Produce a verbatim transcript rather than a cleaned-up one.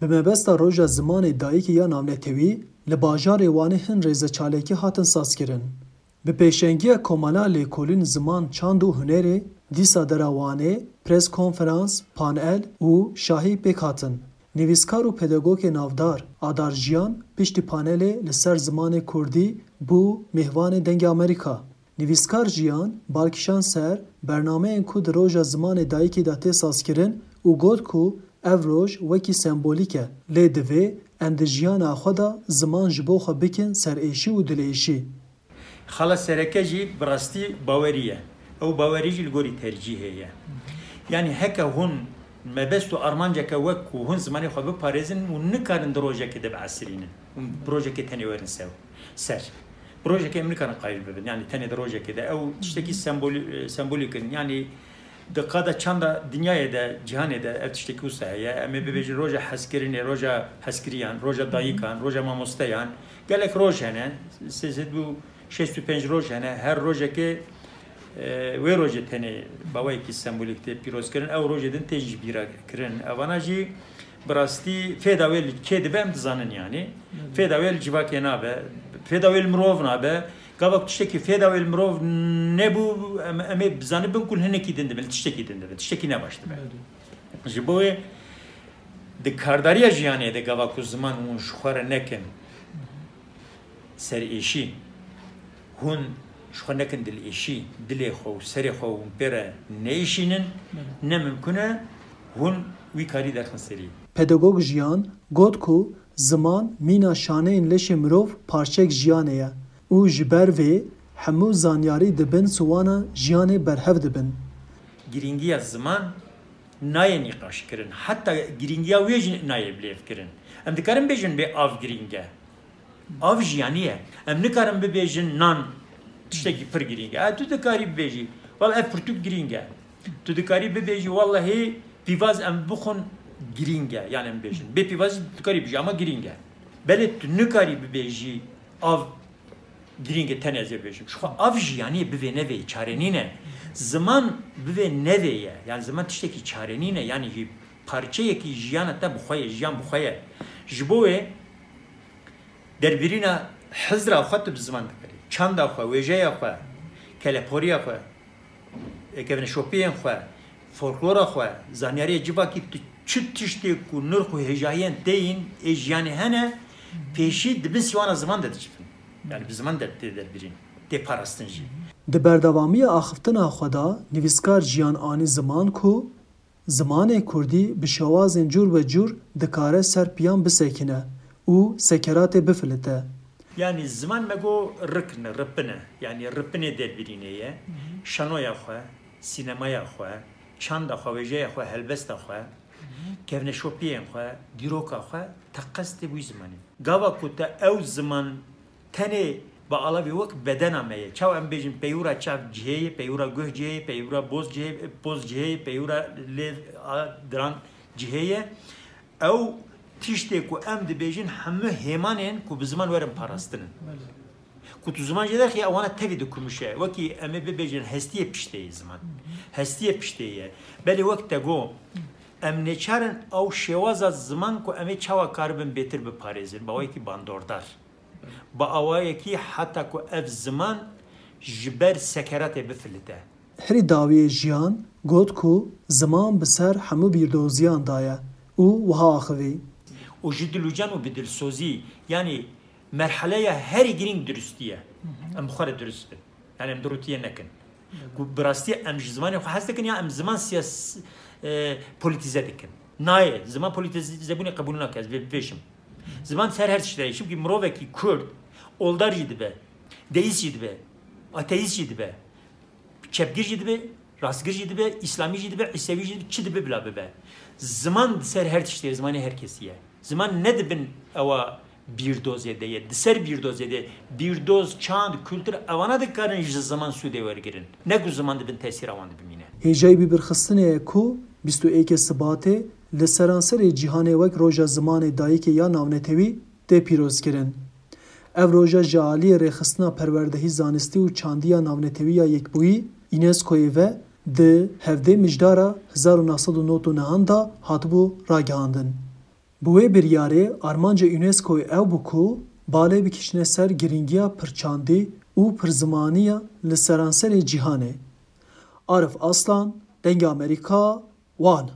Bi mebesta Roja Zimanê Dayikê ya Navnetewî, li bajarê Wanê hin rêzeçalekî hatin sazkirin. Bi pêşengiya Komela Lêkolîn Ziman, Çand û Hunerê, dîsa dera Wanê, pres konferans, panel û şahî pêk hatin. Nivîskar û pedagogê navdar Adar Jiyan piştî panelê li ser zimanê kurdî bû mêvanê Dengê Amerîka. Nivîskar Jiyan bal kişand ser bernameyên ku di Roja Zimanê Dayikê de tê sazkirin û got ku ev roj wekî sembolîk e, lê divê em di jiyana xwe de ziman ji bo xwe bikin serêşî û dilêşî. Xala sereke jî bi rastî bawerî ye. Ew bawerî jî li gorî tercîhê ye. Yanî heke hûn mebest û armanceke wek ku hûn zimanê xwe biparêzin, hûn nikarin di rojekê de biesirînin. Hûn bi rojekê tenê werin sew, ser. Bi rojekê em nikarin qayîl bibin. Yanî tenê di rojekê de. Ew tiştekî sembolî-, sembolîk in. Yanî di qada çanda dinyayê de, cîhanê de ev tiştekî wisa heye. Em ê bibêjin roja hezkirinê, roja hezkiriyan, roja dayikan, roja mamosteyan. Gelek roj hene. Sê sed û şêst û pênc roj hene. Her rojekê, e, wê rojê tenê baweyekî sembolîk tê pîrozkirin. Ew rojê din tê jibîra kirin. Evana jî bi rastî fêda wê li kê dibe em dizanin yanî. Fêda wê li civakê nabe. Fêda wê li mirov nabe. Gava ku tiştekî fêda wê li mirov nebû, em, em ê bizanibin ku li hinekî din dibe, li tiştekî din dibe, tiştekî ne baş dibe. Belê. Ji bo wê di kardariya jiyanê de gava ku ziman hûn ji xwe re nekin serêşî, hûn ji xwe nekin dilêşî, dilê xwe û serê xwe hûn pê re neêşînin, Belê. ne mimkun e hûn wî karî derxin serî. Pedagog Jiyan got ku ziman mîna şaneyên leşê mirov parçeyek jiyanê ye û ji ber vê hemû zanyarî di bin siwana jiyanê berhev dibin. Girîngiya ziman nayê nîqaşkirin, heta girîngiya wê jî nayê bilêvkirin. Em dikarin bêjin bê av girîng e. Av jiyanî ye. Em nikarin bibêjin nan tiştekî pir girîng e. E, tu dikarî bibêjî, wela ev pirtûk girîng e. Tu dikarî bibêjî, wellehî pîvaz em bixwin girîng e. Yanî em bêjin. Bê pîvazî tu dikarî bibêjî, ama girîng e. Belê tu nikarî bibêjî av girîng e, tenê ez ê bêjim. Ji xwe av jiyanî bivê nevê çare nîne. Ziman bivê nevê ye. Yanî ziman tiştekî çare nîne. Yanî jî parçeyekî jiyana te bi xwe ye, jiyan bi xwe ye. Ji bo wê derbirîna hizra xwe tu bi ziman dikarî. Çanda xwe, wêjeya xwe, keleporiya xwe, e, kevneşopiyên xwe, folklora xwe, zanyariyê civakî tu çi tiştê ku nirx û hêjayiyên te yên ê jiyanê hene, pêşî di bin sîwana ziman de dicivin. Yanî bi ziman de tê derbirîn, tê parastin jî. Di berdewamiya axiftina xwe de nivîskar Jiyan anî ziman ku zimanê kurdî bi şewazên cûr be cûr dikare ser piyan bisekine û sekeratê bifilite. Yanî ziman me got rik ne, ripin e. Yanî ripinê derbirînê ye. Hı hı. Şanoya xwe, sînemaya xwe, çanda xwe, wêjeya xwe, helbesta xwe, Hı hı. kevneşopiyên xwe, dîroka xwe, teqez tê wî zimanê. Gava ku te ew ziman tenê bi alavê wek bedena me ye. Çawa em bêjin peyûra çav cihê ye, peyûra guh cihê ye, peyûra boz cihê, poz cihê ye, peyûra lêv a diran cihê ye. Ew tiştê ku em dibêjin hemû hêmanên ku bi ziman werin parastinin. Belê. Ku tu ziman jê derxî, ewana tevî dikumuşe. Wekî em ê bibêjin hestiyê piştê ye ziman. Hestiyê piştê ye. Belê wek te got, em nêçar in ew şêwaza ziman ku em ê çawa karibin bêtir biparêzin, bi awayekî bandordar. Bi awayekî heta ku ev ziman ji ber sekeratê bifilite. Herî dawiyê Jiyan got ku ziman bi ser hemû bîrdoziyan daye û wiha axivî. Û ji dilûcan û bi dilsozî, yanî merheleya herî girîng durustî ye. Hı hı. Em bi xwe re durust bin. Yanî em durûtiyê nekin. Hı hı. Ku bi rastî em ji zimanê xwe hez dikin ya em ziman siyas-, e, polîtîze dikin. Nayê, ziman polîtîzebûnê qebûl nake, ez vê bibêjim. Ziman ser her tiştî de ye. Çimkî mirovekî kurd oldar jî dibe, deîst jî dibe, ateîst jî dibe, çepgir jî dibe, rastgir jî dibe, îslamî jî dibe, îsevî jî dibe, çi dibe bila bibe. Ziman di ser her tiştê, zimanê her kesî ye. Ziman ne di bin ewa bîrdozê de ye, di ser bîrdozê de ye. Bîrdoz, çand, kultur, ewana dikarin ji ziman sûdê wergirin. Ne ku ziman di bin tesîra wan de bimîne. Hêjayî bîrxistinê ye ku bîst û êkê Sibatê li seranserê cîhanê wek Roja Zimanê Dayikê ya Navnetewî tê pîrozkirin. Ev roja ji aliyê Rêxistina Perwerdehî, Zanistî û Çandî ya Navnetewî ya Yekbûyî, UNESCOyê ve di hevdê Mijdara hezar û neh sed û nod û nehan de hatibû ragihandin. Bi wê biryarê armanca UNESCOyê ew bû ku balê bikişîne ser girîngiya pirçandî û pirzimaniya li seranserê cîhanê. Arif Aslan, Dengê Amerîka, Wan.